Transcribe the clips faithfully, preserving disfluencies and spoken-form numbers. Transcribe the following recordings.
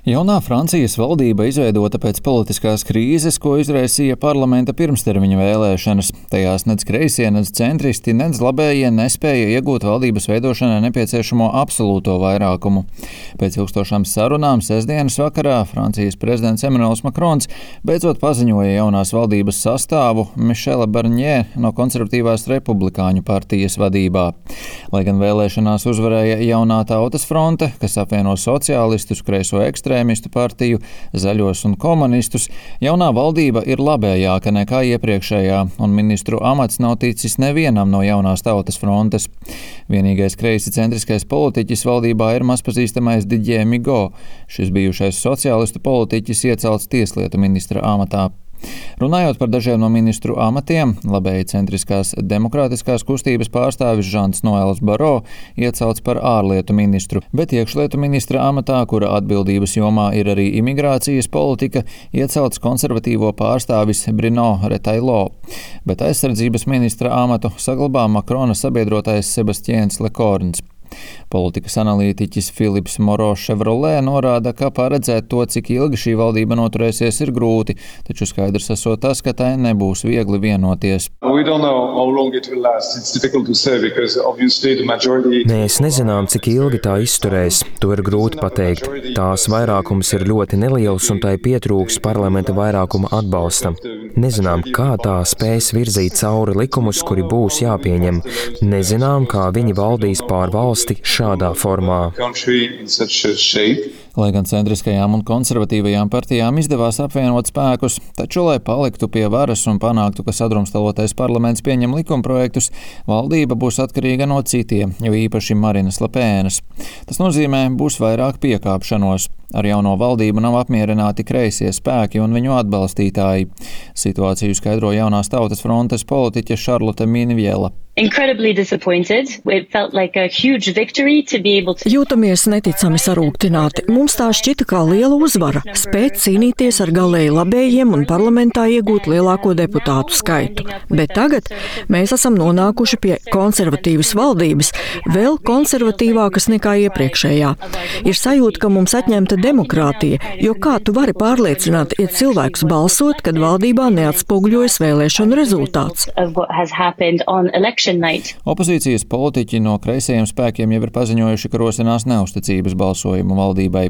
Jaunā Francijas valdība izveidota pēc politiskās krīzes, ko izraisīja parlamenta pirmstermiņa vēlēšanas. Tajās nec kreisie, nec centristi, nec labējie nespēja iegūt valdības veidošanai nepieciešamo absolūto vairākumu. Pēc ilgstošām sarunām sestdienas vakarā Francijas prezidents Emmanuels Macrons beidzot paziņoja jaunās valdības sastāvu Michela Barnier no konservatīvās republikāņu partijas vadībā. Lai gan vēlēšanās uzvarēja jaunā Tautas fronte, kas apvieno sociālistus, kreiso ekstrēmistu partiju, zaļos un komunistus, jaunā valdība ir labējāka nekā iepriekšējā, un ministru amats nav ticis nevienam no jaunās Tautas frontes. Vienīgais kreisi centriskais politiķis valdībā ir mazpazīstamais Didier Migaud. Šis bijušais sociālistu politiķis iecelts tieslietu ministra amatā. Runājot par dažiem no ministru amatiem, labēji centriskās demokrātiskās kustības pārstāvis Žans Noels Baro iecelts par ārlietu ministru, bet iekšlietu ministra amatā, kura atbildības jomā ir arī imigrācijas politika, iecelts konservatīvo pārstāvis Bruno Retailleau, bet aizsardzības ministra amatu saglabā Macrona sabiedrotais Sebastiens Lecorns. Politikas analītiķis Philips Moreau-Chevrolet norāda, ka paredzēt to, cik ilgi šī valdība noturēsies, ir grūti, taču skaidrs esot tas, ka tai nebūs viegli vienoties. Mēs nezinām, cik ilgi tā izturēs. To ir grūti pateikt. Tās vairākums ir ļoti neliels un tai pietrūks parlamenta vairākuma atbalsta. Nezinām, kā tā spēs virzīt cauri likumus, kuri būs jāpieņem. Nezinām, kā viņi valdīs pār valsti šādā formā. Lai gan centriskajām un konservatīvajām partijām izdevās apvienot spēkus, taču, lai paliktu pie varas un panāktu, ka sadrumstalotais parlaments pieņem likumprojektus, valdība būs atkarīga no citiem, jo īpaši Marinas Le Penas. Tas nozīmē, būs vairāk piekāpšanos. Ar jauno valdību nav apmierināti kreisie spēki un viņu atbalstītāji. Situāciju skaidro jaunās Tautas frontes politiķe Charlotte Minviela. Jūtamies neticami sarūktināti. Mums tā šķita kā liela uzvara – spēt cīnīties ar galēji labējiem un parlamentā iegūt lielāko deputātu skaitu. Bet tagad mēs esam nonākuši pie konservatīvas valdības, vēl konservatīvākas nekā iepriekšējā. Ir sajūta, ka mums atņemta demokrātija, jo kā tu vari pārliecināt, ja cilvēkus balsot, kad valdībā neatspoguļojas vēlēšanu rezultāts? Opozīcijas politiķi no kreisajiem spēkiem jau ir paziņojuši, ka rosinās neusticības balsojumu valdībai,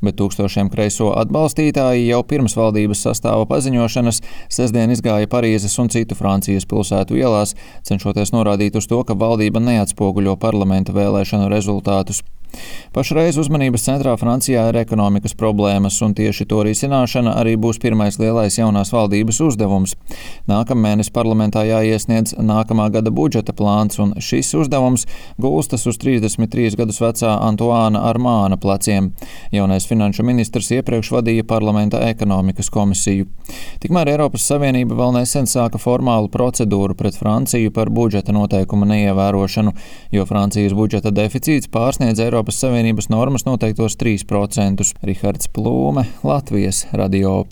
bet tūkstošiem kreiso atbalstītāji jau pirms valdības sastāva paziņošanas sestdien izgāja Parīzes un citu Francijas pilsētu ielās, cenšoties norādīt uz to, ka valdība neatspoguļo parlamenta vēlēšanu rezultātus. Pašreiz uzmanības centrā Francijā ir ekonomikas problēmas, un tieši to risināšana arī būs pirmais lielais jaunās valdības uzdevums. Nākamēnes parlamentā jāiesniedz nākamā gada budžeta plāns, un šis uzdevums gulstas uz trīsdesmit trīs gadus vecā Antoāna Armāna pleciem. Jaunais finanšu ministrs iepriekš vadīja parlamenta ekonomikas komisiju. Tikmēr Eiropas Savienība vēl nesen sāka formālu procedūru pret Franciju par budžeta noteikumu neievērošanu, jo Francijas budžeta deficīts pārsniedz Eiropas Savienības normas noteiktos trīs procentus. Rihards Plūme, Latvijas radio.